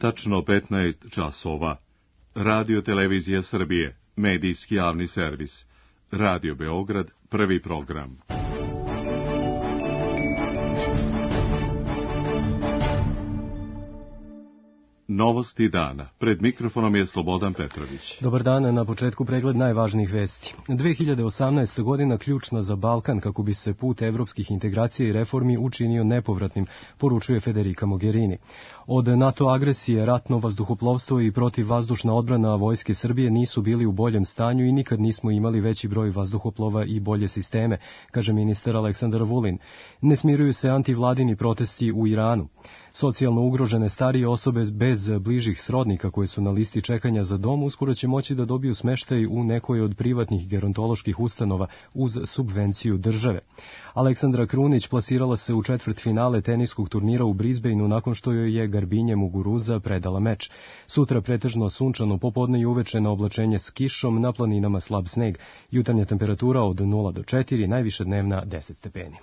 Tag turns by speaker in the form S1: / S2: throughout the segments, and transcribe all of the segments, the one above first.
S1: tačno 15 časova. Radio Televizija Srbije, medijski javni servis. Radio Beograd, prvi program. Novosti dana. Pred mikrofonom je Slobodan Petrović.
S2: Dobar dan, na početku pregled najvažnijih vesti. 2018. godina ključna za Balkan kako bi se put evropskih integracija i reformi učinio nepovratnim, poručuje Federica Mogherini. Od NATO agresije, ratno vazduhoplovstvo i protivvazdušna odbrana vojske Srbije nisu bili u boljem stanju i nikad nismo imali veći broj vazduhoplova i bolje sisteme, kaže ministar Aleksandar Vulin. Ne smiruju se antivladini protesti u Iranu. Socijalno ugrožene starije osobe bez bližih srodnika koje su na listi čekanja za dom uskoro će moći da dobiju smeštaj u nekoj od privatnih gerontoloških ustanova uz subvenciju države. Aleksandra Krunić plasirala se u četvrtfinale teniskog turnira u Brisbaneu nakon što joj je Garbinje Muguruza predala meč. Sutra pretežno sunčano, popodne i uveče na oblačenje s kišom, na planinama slab sneg. Jutarnja temperatura od 0 do 4, najviša dnevna 10 stepeni.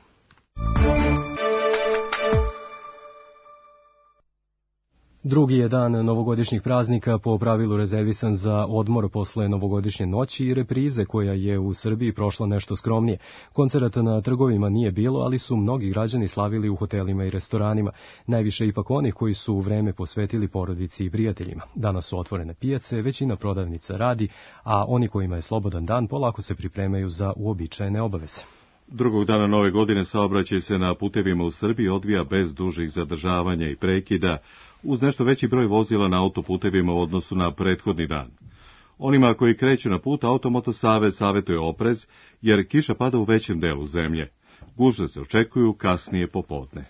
S2: Drugi je dan novogodišnjih praznika po pravilu rezervisan za odmor posle novogodišnje noći i reprize koja je u Srbiji prošla nešto skromnije. Koncerata na trgovima nije bilo, ali su mnogi građani slavili u hotelima i restoranima. Najviše ipak onih koji su u vreme posvetili porodici i prijateljima. Danas su otvorene pijace, većina prodavnica radi, a oni kojima je slobodan dan polako se pripremaju za uobičajene obaveze.
S1: Drugog dana nove godine saobraćaj se na putevima u Srbiji odvija bez dužih zadržavanja i prekida, uz nešto veći broj vozila na autoputevima u odnosu na prethodni dan. Onima koji kreću na put, Automoto Savez savjetuje oprez, jer kiša pada u većem delu zemlje. Gužve se očekuju kasnije popodne.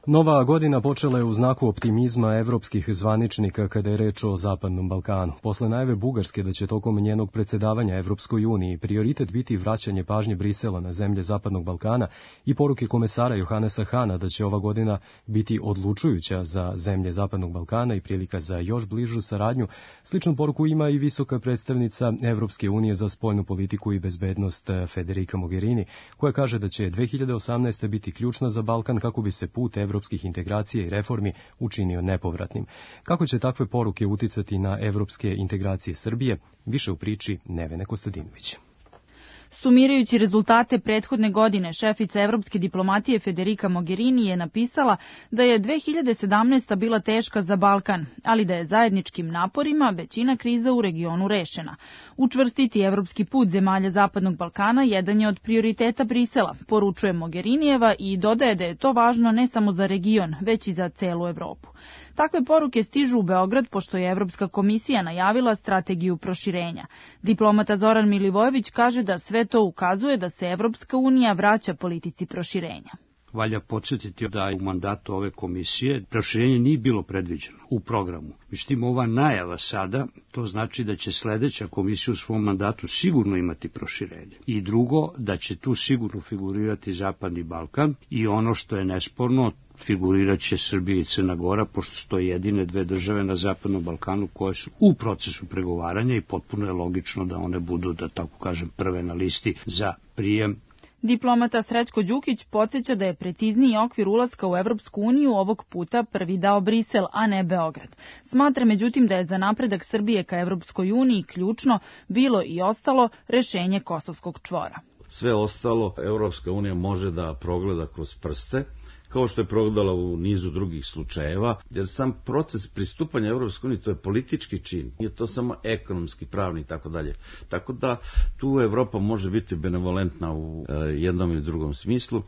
S2: Nova godina počela je u znaku optimizma evropskih zvaničnika kada je reč o Zapadnom Balkanu. Posle najave Bugarske da će tokom njenog predsedavanja Evropskoj uniji prioritet biti vraćanje pažnje Brisela na zemlje Zapadnog Balkana i poruke komesara Johannesa Hana da će ova godina biti odlučujuća za zemlje Zapadnog Balkana i prilika za još bližu saradnju, sličnu poruku ima i visoka predstavnica Evropske unije za spoljnu politiku i bezbednost Federica Mogherini, koja kaže da će 2018. biti ključna za Balkan kako bi se put evropskih integracija i reformi učinio nepovratnim. Kako će takve poruke uticati na evropske integracije Srbije? Više u priči Nevene Kostadinović.
S3: Sumirajući rezultate prethodne godine, šefica evropske diplomatije Federica Mogherini je napisala da je 2017. bila teška za Balkan, ali da je zajedničkim naporima većina kriza u regionu rešena. Učvrstiti evropski put zemalja Zapadnog Balkana jedan je od prioriteta Brisela, poručuje Mogherinijeva i dodaje da je to važno ne samo za region, već i za celu Evropu. Takve poruke stižu u Beograd pošto je Evropska komisija najavila strategiju proširenja. Diplomata Zoran Milivojević kaže da sve to ukazuje da se Evropska unija vraća politici proširenja.
S4: Valja podsjetiti da u mandatu ove komisije proširenje nije bilo predviđeno u programu. Međutim, ova najava sada, to znači da će sledeća komisija u svom mandatu sigurno imati proširenje. I drugo, da će tu sigurno figurirati Zapadni Balkan i ono što je nesporno, figurirat će Srbija i Crna Gora, pošto su to jedine dve države na Zapadnom Balkanu koje su u procesu pregovaranja i potpuno je logično da one budu, da tako kažem, prve na listi za prijem.
S3: Diplomata Srećko Đukić podsjeća da je precizniji okvir ulaska u Evropsku uniju ovog puta prvi dao Brisel, a ne Beograd. Smatra međutim da je za napredak Srbije ka Evropskoj uniji ključno bilo i ostalo rešenje Kosovskog čvora.
S5: Sve ostalo Evropska unija može da progleda kroz prste, kao što je progledala u nizu drugih slučajeva, jer sam proces pristupanja Evropskoj uniji to je politički čin, nije to samo ekonomski, pravni i tako dalje. Tako da tu Evropa može biti benevolentna u jednom ili drugom smislu.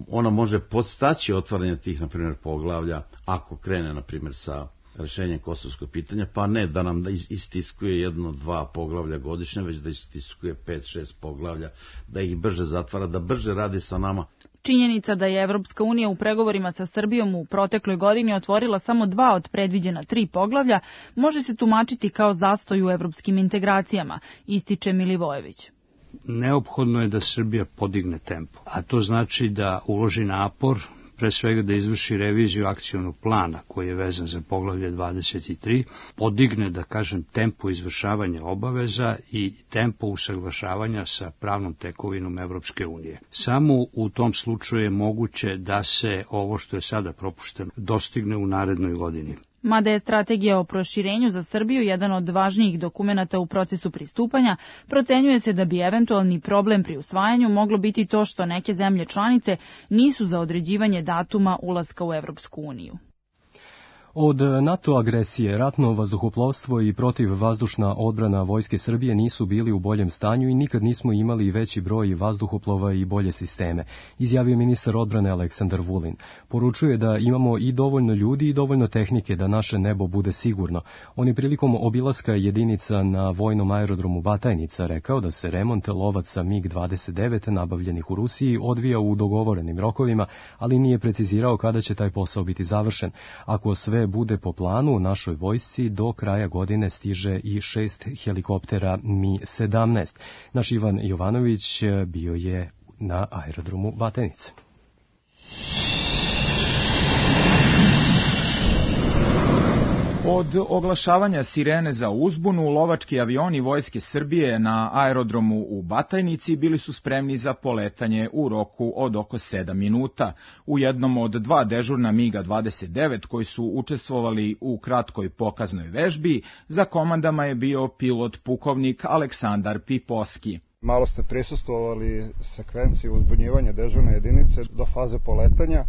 S5: Ona može podstaći otvaranje tih, na primjer, poglavlja, ako krene, na primjer, sa rešenjem kosovskog pitanja, pa ne da nam istiskuje 1-2 poglavlja godišnje, već da istiskuje 5-6 poglavlja, da ih brže zatvara, da brže radi sa nama.
S3: Činjenica da je Evropska unija u pregovorima sa Srbijom u protekloj godini otvorila samo 2 od predviđena 3 poglavlja može se tumačiti kao zastoj u evropskim integracijama, ističe Milivojević.
S4: Neophodno je da Srbija podigne tempo, a to znači da uloži napor, pre svega da izvrši reviziju akcionog plana koji je vezan za poglavlje 23, podigne, da kažem, tempo izvršavanja obaveza i tempo usaglašavanja sa pravnom tekovinom Evropske unije. Samo u tom slučaju je moguće da se ovo što je sada propušteno dostigne u narednoj godini.
S3: Mada je strategija o proširenju za Srbiju jedan od važnijih dokumenata u procesu pristupanja, procenjuje se da bi eventualni problem pri usvajanju moglo biti to što neke zemlje članice nisu za određivanje datuma ulaska u Evropsku uniju.
S2: Od NATO agresije, ratno vazduhoplovstvo i protivvazdušna odbrana Vojske Srbije nisu bili u boljem stanju i nikad nismo imali veći broj vazduhoplova i bolje sisteme, izjavio ministar odbrane Aleksandar Vulin. Poručuje da imamo i dovoljno ljudi i dovoljno tehnike da naše nebo bude sigurno. On je prilikom obilaska jedinica na vojnom aerodromu Batajnica rekao da se remont lovaca MiG-29 nabavljenih u Rusiji odvija u dogovorenim rokovima, ali nije precizirao kada će taj posao biti završen. Ako sve bude po planu, u našoj vojsci do kraja godine stiže i 6 helikoptera Mi-17. Naš Ivan Jovanović bio je na aerodromu Batajnice.
S6: Od oglašavanja sirene za uzbunu, lovački avioni Vojske Srbije na aerodromu u Batajnici bili su spremni za poletanje u roku od oko 7 minuta. U jednom od 2 dežurna MiG-29 koji su učestvovali u kratkoj pokaznoj vežbi, za komandama je bio pilot pukovnik Aleksandar Piposki.
S7: Malo ste prisustvovali sekvenciji uzbunjivanja dežurne jedinice do faze poletanja.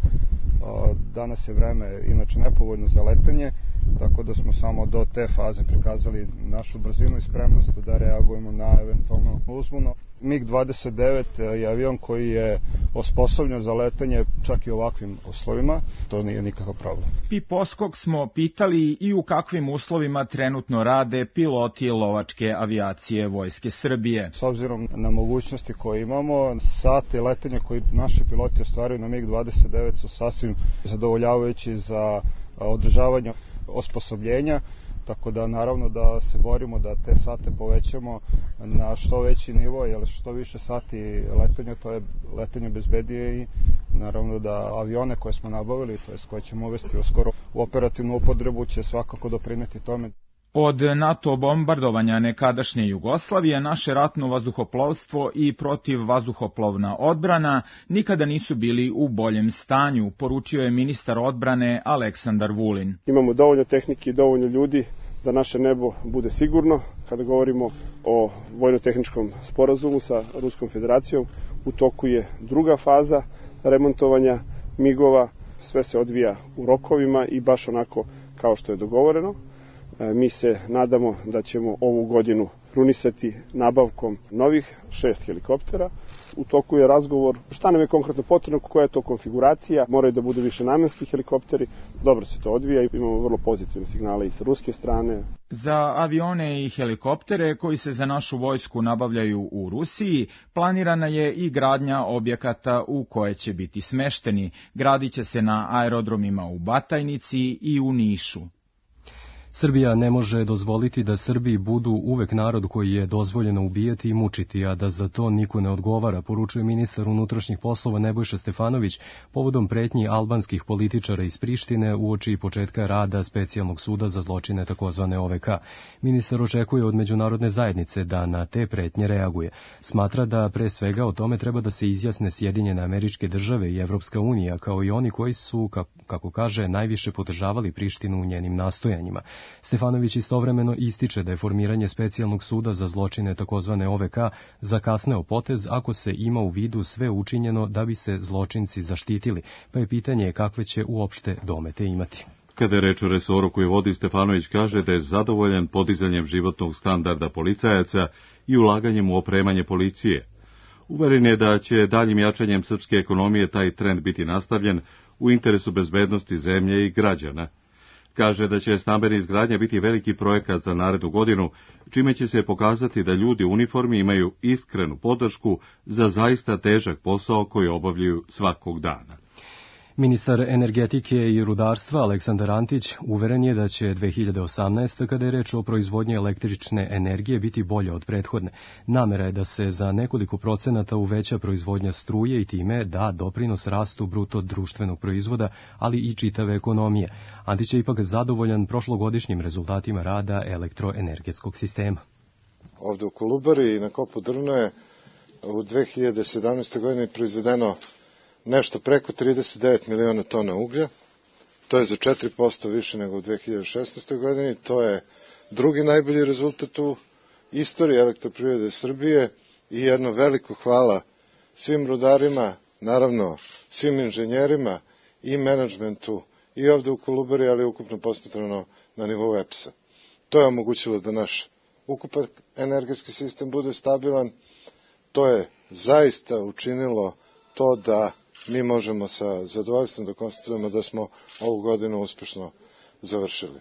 S7: Danas je vreme inače nepovoljno za letanje, tako da smo samo do te faze prikazali našu brzinu i spremnost da reagujemo na eventualno uzbunu. MiG-29 je avion koji je osposobljen za letanje čak i u ovakvim uslovima, to nije nikakav problem.
S6: Piposkog smo pitali i u kakvim uslovima trenutno rade piloti lovačke avijacije Vojske Srbije.
S7: S obzirom na mogućnosti koje imamo, sati letenja koji naši piloti ostvaruju na MiG-29 su sasvim zadovoljavajući za održavanje osposobljenja, tako da naravno da se borimo da te sate povećamo na što veći nivo, jer što više sati letenja, to je letenje bezbednije i naravno da avione koje smo nabavili, to je koje ćemo uvesti uskoro u operativnu upotrebu, će svakako doprineti tome.
S6: Od NATO bombardovanja nekadašnje Jugoslavije, naše ratno vazduhoplovstvo i protivvazduhoplovna odbrana nikada nisu bili u boljem stanju, poručio je ministar odbrane Aleksandar Vulin.
S8: Imamo dovoljno tehnike i dovoljno ljudi da naše nebo bude sigurno. Kada govorimo o vojno-tehničkom sporazumu sa Ruskom federacijom, u toku je druga faza remontovanja MiG-ova. Sve se odvija u rokovima i baš onako kao što je dogovoreno. Mi se nadamo da ćemo ovu godinu krunisati nabavkom novih 6 helikoptera. U toku je razgovor šta nam je konkretno potrebno, koja je to konfiguracija, moraju da budu više namenski helikopteri. Dobro se to odvija i imamo vrlo pozitivne signale i sa ruske strane.
S6: Za avione i helikoptere koji se za našu vojsku nabavljaju u Rusiji, planirana je i gradnja objekata u koje će biti smešteni. Gradit će se na aerodromima u Batajnici i u Nišu.
S2: Srbija ne može dozvoliti da Srbiji budu uvek narod koji je dozvoljeno ubijati i mučiti, a da za to niko ne odgovara, poručuje ministar unutrašnjih poslova Nebojša Stefanović povodom pretnji albanskih političara iz Prištine uoči početka rada specijalnog suda za zločine takozvane OVK. Ministar očekuje od međunarodne zajednice da na te pretnje reaguje. Smatra da pre svega o tome treba da se izjasne Sjedinjene Američke Države i Evropska unija, kao i oni koji su, kako kaže, najviše podržavali Prištinu u njenim nastojanjima. Stefanović istovremeno ističe da je formiranje specijalnog suda za zločine takozvane OVK zakasneo potez ako se ima u vidu sve učinjeno da bi se zločinci zaštitili, pa je pitanje kakve će uopšte domete imati.
S1: Kada je reč o resoru koji vodi, Stefanović kaže da je zadovoljan podizanjem životnog standarda policajaca i ulaganjem u opremanje policije. Uveren je da će daljim jačanjem srpske ekonomije taj trend biti nastavljen u interesu bezbednosti zemlje i građana. Kaže da će stambena izgradnja biti veliki projekat za narednu godinu, čime će se pokazati da ljudi u uniformi imaju iskrenu podršku za zaista težak posao koji obavljaju svakog dana.
S2: Ministar energetike i rudarstva Aleksandar Antić uveren je da će 2018. kada je reč o proizvodnji električne energije biti bolja od prethodne. Namera je da se za nekoliko procenata uveća proizvodnja struje i time da doprinos rastu bruto društvenog proizvoda, ali i čitave ekonomije. Antić je ipak zadovoljan prošlogodišnjim rezultatima rada elektroenergetskog sistema.
S9: Ovde u Kolubari i na kopu Drvno je u 2017. godini proizvedeno nešto preko 39 miliona tona uglja To je za 4% više nego u 2016. godini. To je drugi najbolji rezultat u istoriji Elektroprivrede Srbije i jedno veliko hvala svim rudarima, naravno svim inženjerima i menadžmentu i ovde u Kolubari, ali ukupno posmatrano na nivou EPS-a. To je omogućilo da naš ukupan energetski sistem bude stabilan. To je zaista učinilo to da mi možemo sa zadovoljstvom da konstatujemo da smo ovu godinu uspešno završili.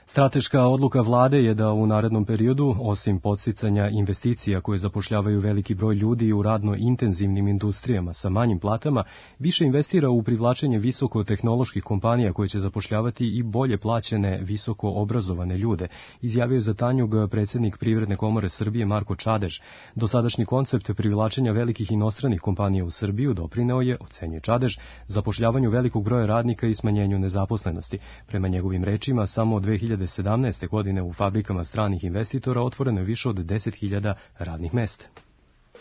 S2: Strateška odluka vlade je da u narednom periodu, osim podsticanja investicija koje zapošljavaju veliki broj ljudi u radno intenzivnim industrijama sa manjim platama, više investira u privlačenje visokotehnoloških kompanija koje će zapošljavati i bolje plaćene visoko obrazovane ljude, izjavio je za Tanjug predsjednik Privredne komore Srbije Marko Čadež. Dosadašnji koncept privlačenja velikih inostranih kompanija u Srbiju doprineo je, ocenjuje Čadež, zapošljavanju velikog broja radnika i smanjenju nezaposlenosti. Prema njegovim rečima, samo 2017. godine u fabrikama stranih investitora otvoreno je više od 10.000 radnih mesta.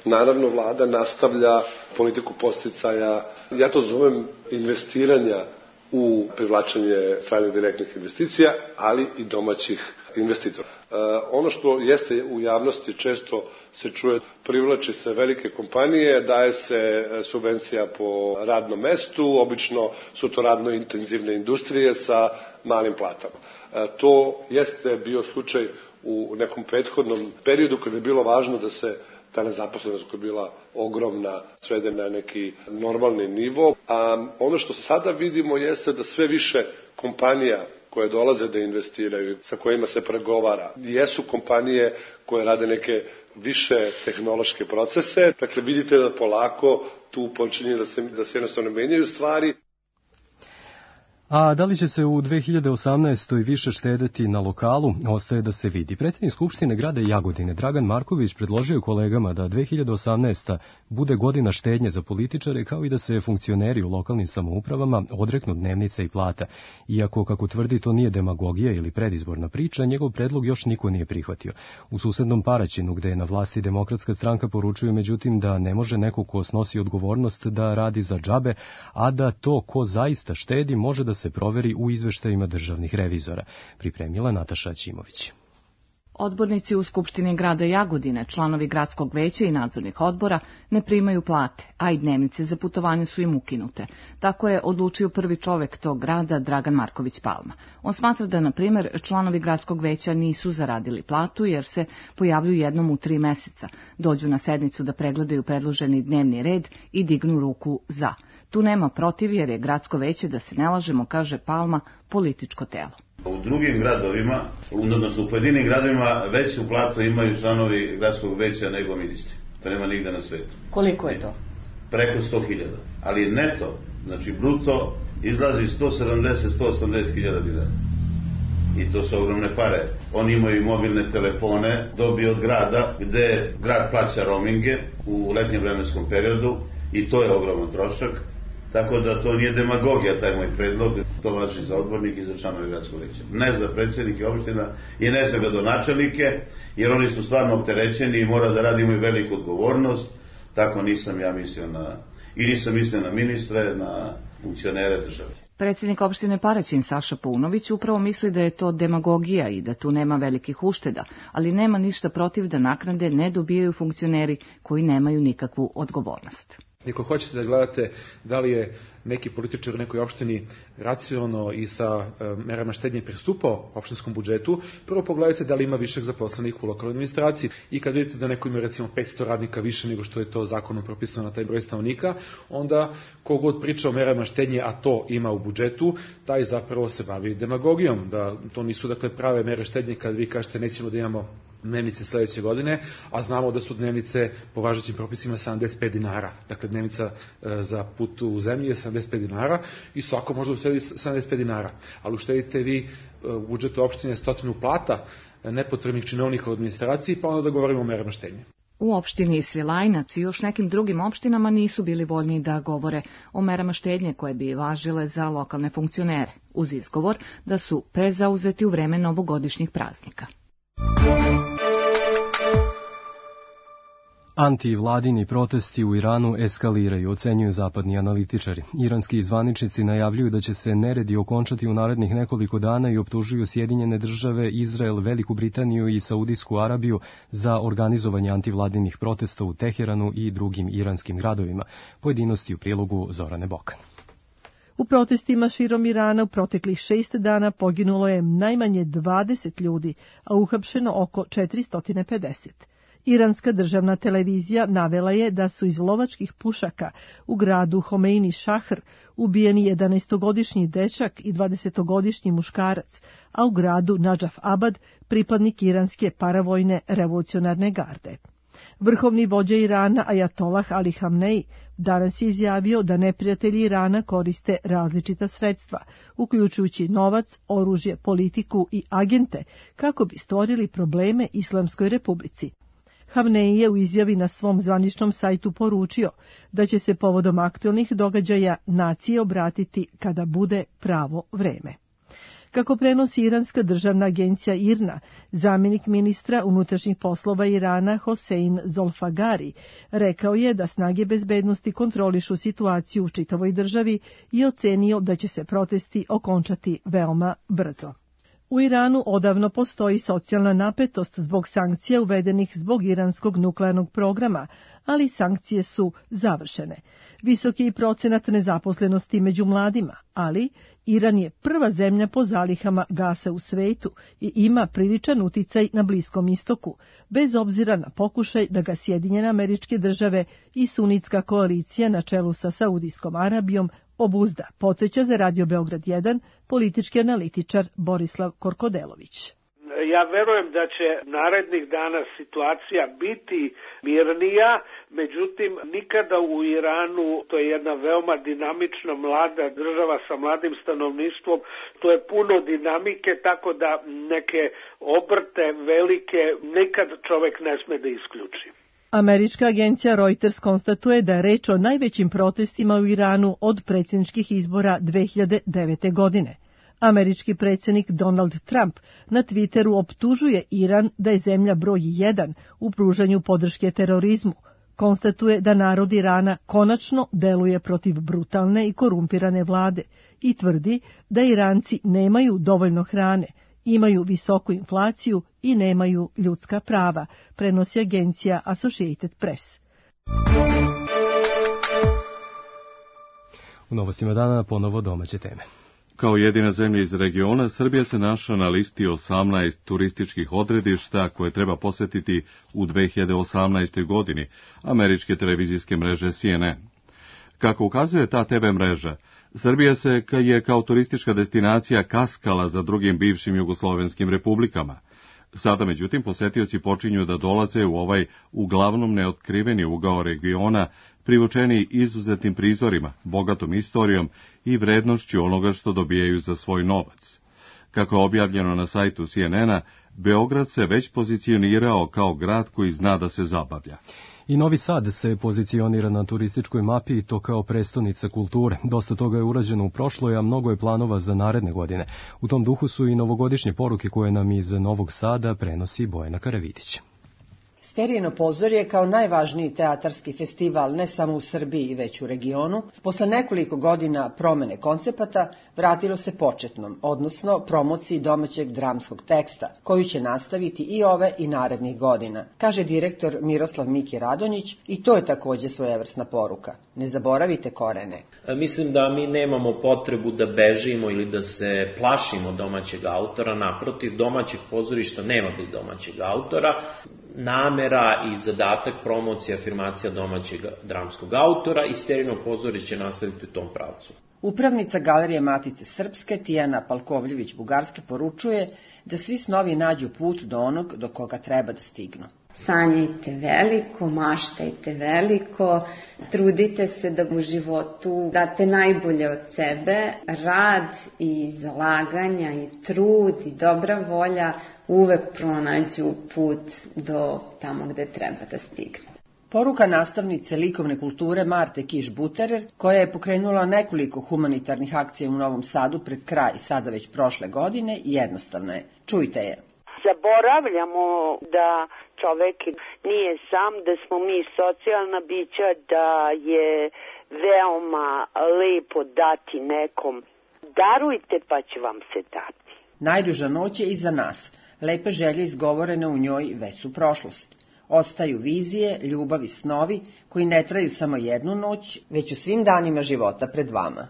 S10: Naravno, vlada nastavlja politiku podsticaja, ja to zovem investiranja u privlačenje stranih direktnih investicija, ali i domaćih investitora. Ono što jeste u javnosti često se čuje, privlači se velike kompanije, daje se subvencija po radnom mestu, obično su to radno intenzivne industrije sa malim platama. To jeste bio slučaj u nekom prethodnom periodu kada je bilo važno da se ta nezaposlenost koja je bila ogromna svede na neki normalni nivo. A ono što sada vidimo jeste da sve više kompanija koje dolaze da investiraju, sa kojima se pregovara, jesu kompanije koje rade neke više tehnološke procese. Dakle, vidite da polako tu počinje da se jednostavno menjaju stvari.
S2: A da li će se u 2018. više štedeti na lokalu, ostaje da se vidi. Predsjednik Skupštine grada Jagodine Dragan Marković predložio kolegama da 2018. bude godina štednje za političare, kao i da se funkcioneri u lokalnim samoupravama odreknu dnevnica i plata. Iako, kako tvrdi, to nije demagogija ili predizborna priča, njegov predlog još niko nije prihvatio. U susednom Paraćinu, gde je na vlasti Demokratska stranka, poručuju međutim da ne može neko ko snosi odgovornost da radi za džabe, a da to ko zaista štedi može da se proveri u izveštajima državnih revizora, pripremila Nataša Ćimović.
S11: Odbornici u Skupštini grada Jagodine, članovi gradskog veća i nadzornih odbora ne primaju plate, a i dnevnice za putovanje su im ukinute. Tako je odlučio prvi čovek tog grada, Dragan Marković Palma. On smatra da, na primjer, članovi gradskog veća nisu zaradili platu jer se pojavljuju jednom u 3 meseca, dođu na sednicu da pregledaju predloženi dnevni red i dignu ruku za. Tu nema protiv jer je gradsko veće, da se ne lažemo, kaže Palma, političko telo.
S5: U drugim gradovima, odnosno u pojedinim gradovima, veću platu imaju članovi gradskog veća nego ministri. To nema nigde na svetu.
S11: Koliko je to?
S5: Preko 100.000. Ali neto, znači bruto, izlazi 170-180.000 dinara. I to su ogromne pare. Oni imaju mobilne telefone, dobiju od grada, gde grad plaća roaminge u letnjem vremenskom periodu i to je ogroman trošak. Tako da to nije demagogija, taj moj predlog, to važi za odbornike i za članove gradskog veća. Ne za predsjednike opština i ne za gradonačelnike, jer oni su stvarno opterećeni i mora da radi, imaju veliku odgovornost. Tako nisam ja mislio nisam mislio na ministre, na funkcionere države.
S11: Predsjednik opštine Paraćin Saša Paunović upravo misli da je to demagogija i da tu nema velikih ušteda, ali nema ništa protiv da naknade ne dobijaju funkcioneri koji nemaju nikakvu odgovornost.
S12: Ako hoćete da gledate da li je neki političar u nekoj opštini racionalno i sa merama štednje pristupao opštinskom budžetu, prvo pogledajte da li ima višak zaposlenih u lokalnoj administraciji i kad vidite da neko ima recimo 500 radnika više nego što je to zakonom propisano na taj broj stanovnika, onda kogod priča o merama štednje, a to ima u budžetu, taj zapravo se bavi demagogijom, da to nisu dakle prave mere štednje kad vi kažete nećemo da imamo dnevnice sledeće godine, a znamo da su dnevnice po važećim propisima 75 dinara. Dakle, dnevnica za put u zemlji je 75 dinara i svako može uštedi 75 dinara. Ali uštedite vi u budžetu opštine 100 plata nepotrebnih činovnika u administraciji, pa onda da govorimo o merama štednje.
S11: U opštini Svilajnac i još nekim drugim opštinama nisu bili voljni da govore o merama štednje koje bi važile za lokalne funkcionere, uz izgovor da su prezauzeti u vreme novogodišnjih praznika.
S2: Antivladini protesti u Iranu eskaliraju, ocenjuju zapadni analitičari. Iranski zvaničnici najavljuju da će se neredi okončati u narednih nekoliko dana i optužuju Sjedinjene države, Izrael, Veliku Britaniju i Saudijsku Arabiju za organizovanje antivladinih protesta u Teheranu i drugim iranskim gradovima. Pojedinosti u prilogu Zorane Bokan.
S13: U protestima širom Irana u proteklih 6 dana poginulo je najmanje 20 ljudi, a uhapšeno oko 450. Iranska državna televizija navela je da su iz lovačkih pušaka u gradu Homeini Šahr ubijeni 11-godišnji dečak i 20-godišnji muškarac, a u gradu Nadžaf Abad pripadnik iranske paravojne revolucionarne garde. Vrhovni vođa Irana Ajatolah Ali Hamnej danas je izjavio da neprijatelji Irana koriste različita sredstva, uključujući novac, oružje, politiku i agente, kako bi stvorili probleme Islamskoj republici. Hamnej je u izjavi na svom zvaničnom sajtu poručio da će se povodom aktualnih događaja naciji obratiti kada bude pravo vreme. Kako prenosi iranska državna agencija IRNA, zamjenik ministra unutrašnjih poslova Irana Hosein Zolfagari rekao je da snage bezbednosti kontrolišu situaciju u čitavoj državi i ocenio da će se protesti okončati veoma brzo. U Iranu odavno postoji socijalna napetost zbog sankcija uvedenih zbog iranskog nuklearnog programa, ali sankcije su završene. Visok je i procenat nezaposlenosti među mladima, ali Iran je prva zemlja po zalihama gasa u svetu i ima priličan uticaj na Bliskom istoku, bez obzira na pokušaj da ga Sjedinjene Američke Države i sunitska koalicija na čelu sa Saudijskom Arabijom obuzda, podsjeća za Radio Beograd 1 politički analitičar Borislav Korkodelović.
S14: Ja verujem da će narednih dana situacija biti mirnija, međutim nikada u Iranu, to je jedna veoma dinamična mlada država sa mladim stanovništvom, to je puno dinamike, tako da neke obrte velike nikad čovek ne sme da isključi.
S13: Američka agencija Reuters konstatuje da je reč o najvećim protestima u Iranu od predsjedničkih izbora 2009. godine. Američki predsjednik Donald Trump na Twitteru optužuje Iran da je zemlja broj 1 u pružanju podrške terorizmu. Konstatuje da narod Irana konačno deluje protiv brutalne i korumpirane vlade i tvrdi da Iranci nemaju dovoljno hrane, imaju visoku inflaciju i nemaju ljudska prava, prenosi agencija Associated Press.
S2: U novostima dana ponovo domaće teme.
S1: Kao jedina zemlja iz regiona, Srbija se našla na listi 18 turističkih odredišta koje treba posjetiti u 2018. godini američke televizijske mreže CNN. Kako ukazuje ta TV mreža, Srbija se je kao turistička destinacija kaskala za drugim bivšim jugoslovenskim republikama. Sada, međutim, posetioci počinju da dolaze u ovaj uglavnom neotkriveni ugao regiona, privučeni izuzetnim prizorima, bogatom istorijom i vrednošću onoga što dobijaju za svoj novac. Kako je objavljeno na sajtu CNN-a, Beograd se već pozicionirao kao grad koji zna da se zabavlja.
S2: I Novi Sad se pozicionira na turističkoj mapi i to kao prestonica kulture. Dosta toga je urađeno u prošloj, a mnogo je planova za naredne godine. U tom duhu su i novogodišnje poruke koje nam iz Novog Sada prenosi Bojana Karavidić.
S15: Sterijino pozorje kao najvažniji teatarski festival ne samo u Srbiji već u regionu, posle nekoliko godina promene koncepata vratilo se početnom, odnosno promociji domaćeg dramskog teksta, koju će nastaviti i ove i narednih godina, kaže direktor Miroslav Miki Radonjić i to je takođe svojevrsna poruka. Ne zaboravite korene.
S16: Mislim da mi nemamo potrebu da bežimo ili da se plašimo domaćeg autora, naprotiv, domaćeg pozorišta nema bez domaćeg autora. Namera i zadatak promocije, afirmacija domaćeg dramskog autora i Sterijino pozorište će nastaviti u tom pravcu.
S15: Upravnica Galerije Matice Srpske Tijana Palkovljević-Bugarske poručuje da svi snovi nađu put do onog do koga treba da stignu.
S17: Sanjajte veliko, maštajte veliko, trudite se da u životu date najbolje od sebe, rad i zalaganja i trud i dobra volja uvek pronađu put do tamo gde treba da stigne.
S15: Poruka nastavnice likovne kulture Marte Kiš-Buterer, koja je pokrenula nekoliko humanitarnih akcija u Novom Sadu pred kraj sada već prošle godine, jednostavna je. Čujte je.
S18: Zaboravljamo da čovek nije sam, da smo mi socijalna bića, da je veoma lepo dati nekom. Darujte pa će vam se dati.
S15: Najduža noć je iza nas. Lepe želje izgovorene u njoj već su prošlost. Ostaju vizije, ljubav i snovi koji ne traju samo jednu noć, već u svim danima života pred vama.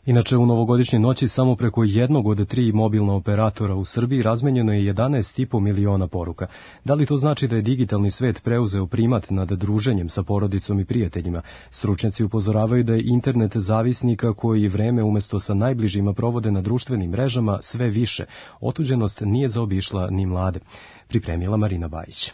S2: Inače, u novogodišnje noći samo preko jednog od 3 mobilna operatora u Srbiji razmenjeno je 11,5 miliona poruka. Da li to znači da je digitalni svet preuzeo primat nad druženjem sa porodicom i prijateljima? Stručnjaci upozoravaju da je internet zavisnika koji vreme umjesto sa najbližima provode na društvenim mrežama sve više. Otuđenost nije zaobišla ni mlade. Pripremila Marina Bajić.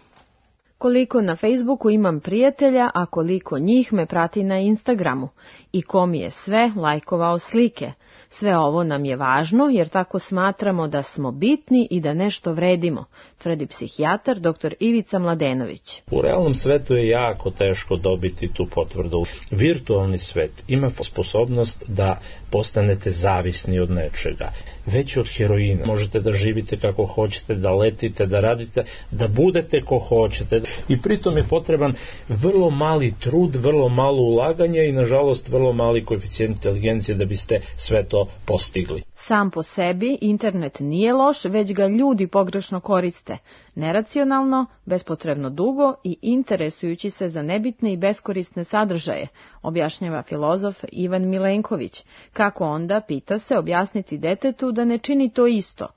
S19: Koliko na Facebooku imam prijatelja, a koliko njih me prati na Instagramu i ko mi je sve lajkovao slike. Sve ovo nam je važno jer tako smatramo da smo bitni i da nešto vredimo, tvrdi psihijatar dr. Ivica Mladenović.
S20: U realnom svetu je jako teško dobiti tu potvrdu. Virtualni svet ima sposobnost da postanete zavisni od nečega. Već od heroina. Možete da živite kako hoćete, da letite, da radite, da budete ko hoćete. I pritom je potreban vrlo mali trud, vrlo malo ulaganja i nažalost vrlo mali koeficijent inteligencije da biste sve to postigli.
S19: Sam po sebi internet nije loš, već ga ljudi pogrešno koriste. Neracionalno, bespotrebno dugo i interesujući se za nebitne i beskorisne sadržaje, objašnjava filozof Ivan Milenković. Kako onda, pita se, objasniti detetu da ne čini to isto?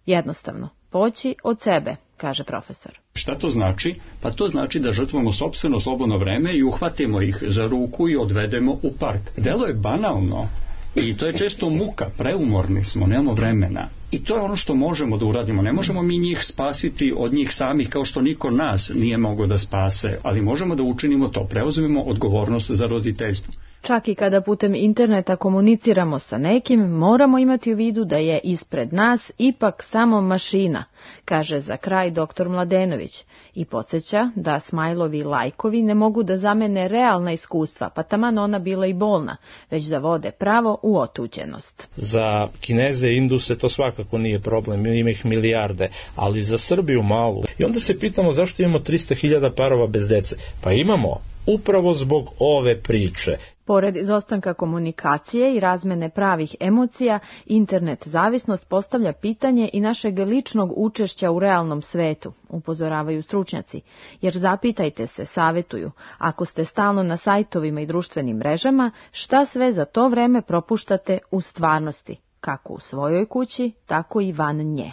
S19: Jednostavno, poći od sebe, kaže profesor.
S21: Šta to znači? Pa to znači da žrtvujemo sopstveno slobodno vreme i uhvatimo ih za ruku i odvedemo u park. Delo je banalno i to je često muka, preumorni smo, nemamo vremena. I to je ono što možemo da uradimo. Ne možemo mi njih spasiti od njih samih kao što niko nas nije mogao da spase, ali možemo da učinimo to, preuzmemo odgovornost za roditeljstvo.
S19: Čak i kada putem interneta komuniciramo sa nekim, moramo imati u vidu da je ispred nas ipak samo mašina, kaže za kraj dr. Mladenović i podsjeća da smajlovi lajkovi ne mogu da zamene realna iskustva, pa taman ona bila i bolna, već da vode pravo u otuđenost.
S20: Za Kineze i Induse to svakako nije problem, ima ih milijarde, ali za Srbiju malu. I onda se pitamo zašto imamo 300.000 parova bez dece. Pa imamo upravo zbog ove priče.
S19: Pored izostanka komunikacije i razmene pravih emocija, internet zavisnost postavlja pitanje i našeg ličnog učešća u realnom svetu, upozoravaju stručnjaci. Jer zapitajte se, savetuju, ako ste stalno na sajtovima i društvenim mrežama, šta sve za to vreme propuštate u stvarnosti, kako u svojoj kući, tako i van nje.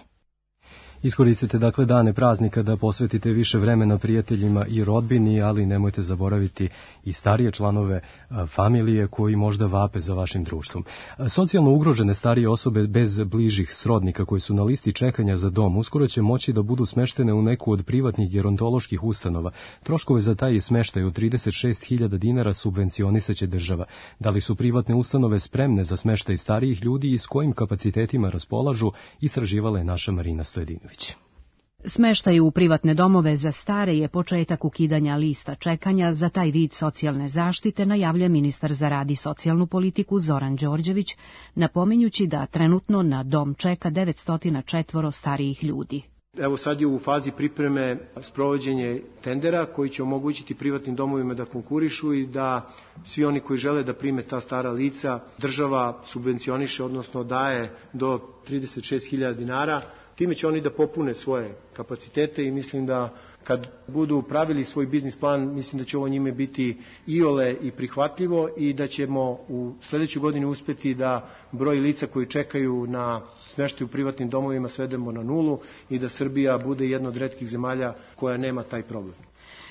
S2: Iskoristite dakle dane praznika da posvetite više vremena prijateljima i rodbini, ali nemojte zaboraviti i starije članove familije koji možda vape za vašim društvom. Socijalno ugrožene starije osobe bez bližih srodnika koji su na listi čekanja za dom uskoro će moći da budu smeštene u neku od privatnih gerontoloških ustanova. Troškove za taj smeštaj od 36.000 dinara subvencionisaće država. Da li su privatne ustanove spremne za smeštaj starijih ljudi i s kojim kapacitetima raspolažu, istraživala je naša Marina Stojedinović.
S22: Smeštaj u privatne domove za stare je početak ukidanja lista čekanja za taj vid socijalne zaštite, najavlja ministar za rad i socijalnu politiku Zoran Đorđević, napominjući da trenutno na dom čeka 904 starijih ljudi.
S23: Evo sad je u fazi pripreme sprovođenje tendera koji će omogućiti privatnim domovima da konkurišu i da svi oni koji žele da prime ta stara lica država subvencioniše, odnosno daje do 36.000 dinara. Time će oni da popune svoje kapacitete i mislim da kad budu pravili svoj biznis plan, mislim da će ovo njime biti iole i prihvatljivo i da ćemo u sljedećoj godini uspeti da broj lica koji čekaju na smeštaj u privatnim domovima svedemo na 0 i da Srbija bude jedna od retkih zemalja koja nema taj problem.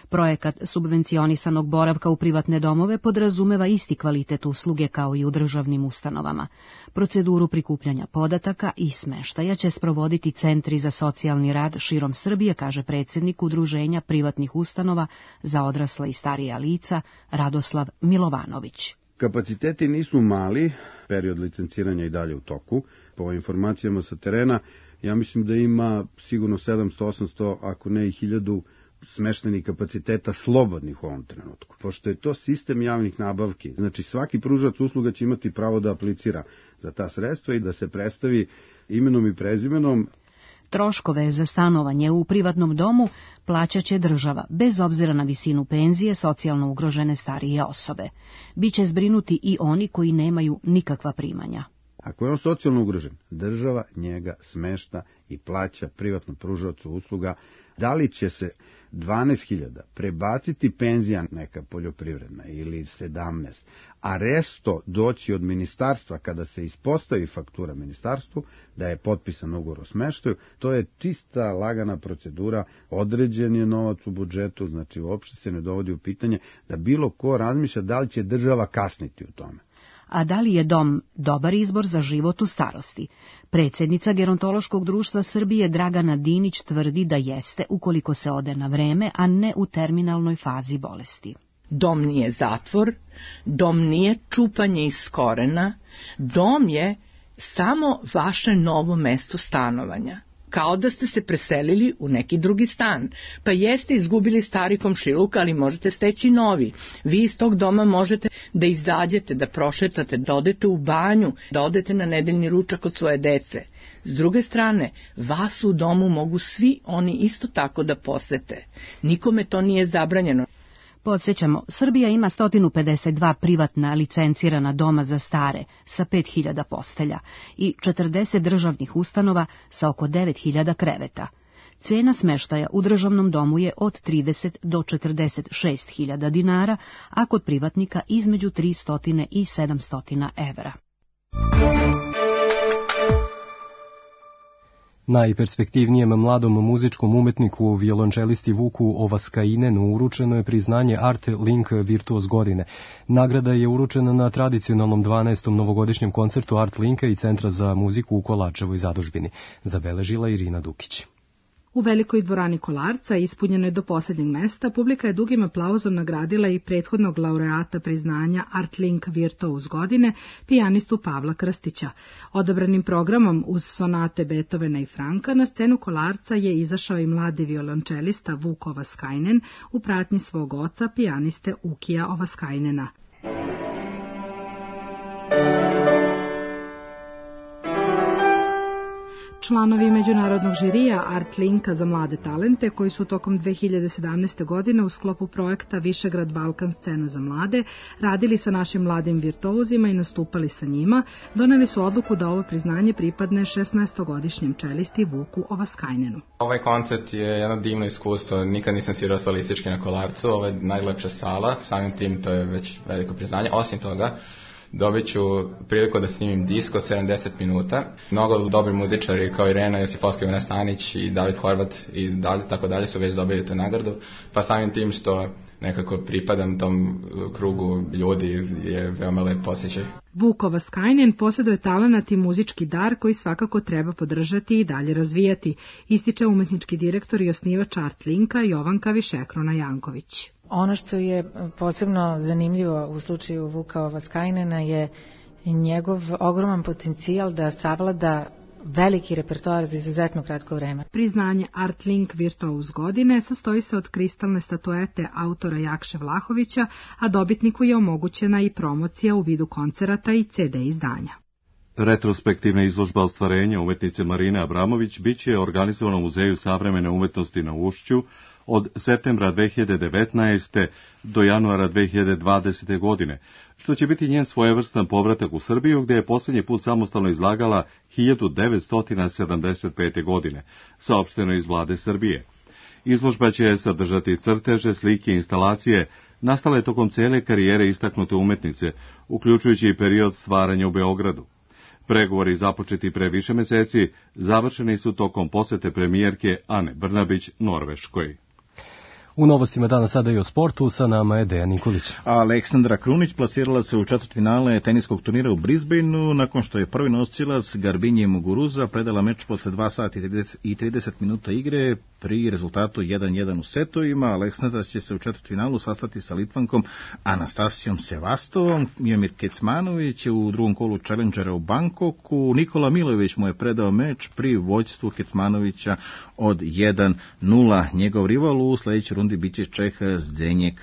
S22: Projekat subvencionisanog boravka u privatne domove podrazumeva isti kvalitet usluge kao i u državnim ustanovama. Proceduru prikupljanja podataka i smeštaja će sprovoditi centri za socijalni rad širom Srbije, kaže predsjednik Udruženja privatnih ustanova za odrasla i starija lica Radoslav Milovanović.
S24: Kapaciteti nisu mali, period licenciranja i dalje u toku. Po informacijama sa terena, ja mislim da ima sigurno 700-800, ako ne i 1000 smeštenih kapaciteta slobodnih u ovom trenutku. Pošto je to sistem javnih nabavki, znači svaki pružač usluga će imati pravo da aplicira za ta sredstva i da se predstavi imenom i prezimenom.
S22: Troškove za stanovanje u privatnom domu plaćat će država, bez obzira na visinu penzije socijalno ugrožene starije osobe. Biće zbrinuti i oni koji nemaju nikakva primanja.
S24: Ako je on socijalno ugrožen, država njega smešta i plaća privatnom pružaocu usluga. Da li će se 12.000 prebaciti penzija neka poljoprivredna ili 17, a resto doći od ministarstva kada se ispostavi faktura ministarstvu da je potpisan ugovor o smeštaju, to je čista lagana procedura, određen je novac u budžetu, znači uopšte se ne dovodi u pitanje da bilo ko razmišlja da li će država kasniti u tome.
S22: A da li je dom dobar izbor za život u starosti? Predsjednica Gerontološkog društva Srbije Dragana Dinić tvrdi da jeste ukoliko se ode na vreme, a ne u terminalnoj fazi bolesti.
S3: Dom nije zatvor, dom nije čupanje iz korena, dom je samo vaše novo mesto stanovanja. Kao da ste se preselili u neki drugi stan. Pa jeste izgubili stari komšiluk, ali možete steći novi. Vi iz tog doma možete da izađete, da prošetate, da odete u banju, da odete na nedeljni ručak od svoje dece. S druge strane, vas u domu mogu svi oni isto tako da posete. Nikome to nije zabranjeno.
S22: Podsjećamo, Srbija ima 152 privatna licencirana doma za stare sa 5.000 postelja i 40 državnih ustanova sa oko 9.000 kreveta. Cena smeštaja u državnom domu je od 30 do 46.000 dinara, a kod privatnika između 300 i 700 evra.
S2: Najperspektivnijem mladom muzičkom umetniku, violončelisti Vuku Ovaskainenu, uručeno je priznanje Art Link Virtuoz godine. Nagrada je uručena na tradicionalnom 12. novogodišnjem koncertu Art Linka i Centra za muziku u Kolačevoj zadužbini, zabeležila Irina Dukić.
S4: U velikoj dvorani Kolarca, ispunjenoj do posljednjeg mesta, publika je dugim aplauzom nagradila i prethodnog laureata priznanja Art Link Virtuoz godine, pijanistu Pavla Krstića. Odabranim programom uz sonate Beethovena i Franka na scenu Kolarca je izašao i mladi violončelista Vuk Ovaskainen u pratnji svog oca, pijaniste Ukija Ovaskainena. Članovi međunarodnog žirija Art Linka za mlade talente, koji su tokom 2017. godine u sklopu projekta Višegrad Balkan scena za mlade radili sa našim mladim virtuozima i nastupali sa njima, doneli su odluku da ovo priznanje pripadne 16-godišnjem čelisti Vuku Ovaskainenu.
S7: Ovaj koncert je jedno divno iskustvo, nikad nisam svirao solistički na Kolarcu, ovo je najlepša sala, samim tim to je već veliko priznanje. Osim toga, dobit ću priliku da snimim disk od 70 minuta. Mnogo dobri muzičari kao Irena Josipovska, Ivana Stanić i David Horvat i dalje, tako dalje su već dobili tu nagradu. Pa samim tim što nekako pripadam tom krugu ljudi je veoma lep osjećaj.
S4: Vuk Ovaskainen posjeduje talenat i muzički dar koji svakako treba podržati i dalje razvijati, ističe umetnički direktor i osnivač Art Linka Jovanka Višekrona Janković.
S8: Ono što je posebno zanimljivo u slučaju Vuka Ovaskainena je njegov ogroman potencijal da savlada veliki repertoar za izuzetno kratko vreme.
S4: Priznanje Art Link Virtuoz godine sastoji se od kristalne statuete autora Jakše Vlahovića, a dobitniku je omogućena i promocija u vidu koncerata i CD izdanja.
S1: Retrospektivna izložba ostvarenja umetnice Marine Abramović biće organizovana u Muzeju savremene umetnosti na Ušću od septembra 2019. do januara 2020. godine, što će biti njen svojevrstan povratak u Srbiju, gdje je posljednji put samostalno izlagala 1975. godine, saopšteno iz vlade Srbije. Izložba će sadržati crteže, slike i instalacije nastale tokom cijele karijere istaknute umetnice, uključujući i period stvaranja u Beogradu. Pregovori započeti pre više meseci završeni su tokom posete premijerke Ane Brnabić Norveškoj.
S2: U novostima dana sada i o sportu, sa nama je Dejan Nikolić.
S25: Aleksandra Krunić plasirala se u četvrtfinale teniskog turnira u Brisbaneu nakon što je prvi nosilac Garbinje Muguruza predala meč posle 2 sata i 30 minuta igre pri rezultatu 1-1 u setovima. Aleksandra će se u četvrtfinalu sastati sa Litvankom Anastasijom Sevastovom. Mijomir Kecmanović je u drugom kolu Challengera u Bangkoku. Nikola Milojević mu je predao meč pri vođstvu Kecmanovića od 1-0. Njegov rival u sledećoj rundi biće Čeh Zdenjek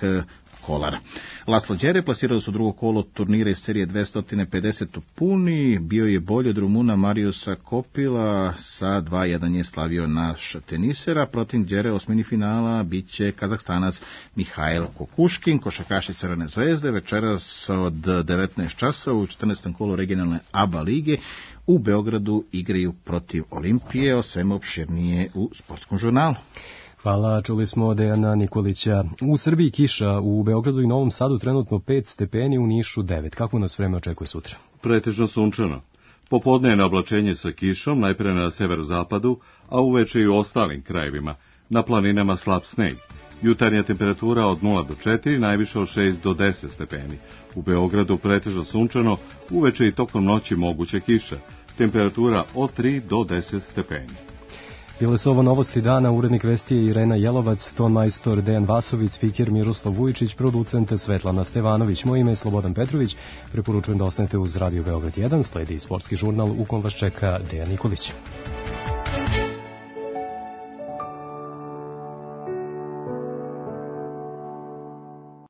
S25: kolara. Laslo Đere plasirao su drugo kolo turnira iz serije 250 u Puni, bio je bolji od Rumuna Mariusa Kopila, sa 2-1 je slavio naš tenisera, protiv Đere osmini finala biće Kazahstanac Mihail Kokuškin, košarkaši Crvene zvezde, večeras od 19 časa u 14. kolu regionalne ABA lige u Beogradu igraju protiv Olimpije, o svemu opširnije u Sportskom žurnalu.
S2: Hvala, čuli smo Dejana Nikolića. U Srbiji kiša, u Beogradu i Novom Sadu trenutno 5 stepeni, u Nišu 9. Kako nas vreme očekuje sutra?
S1: Pretežno sunčano. Popodne je na oblačenje sa kišom, najpre na severozapadu, a uveče i u ostalim krajevima. Na planinama slab sneg. Jutarnja temperatura od 0 do 4, najviše od 6 do 10 stepeni. U Beogradu pretežno sunčano, uveče i tokom noći moguća kiša. Temperatura od 3 do 10 stepeni.
S2: Bile su ovo novosti dana, urednik vesti je Irena Jelovac, ton majstor Dejan Vasović, spiker Miroslav Vujičić, producent Svetlana Stevanović. Moje ime je Slobodan Petrović, preporučujem da ostanete uz Radio Beograd 1, sledi sportski žurnal u kom vas čeka Dejan Nikolić.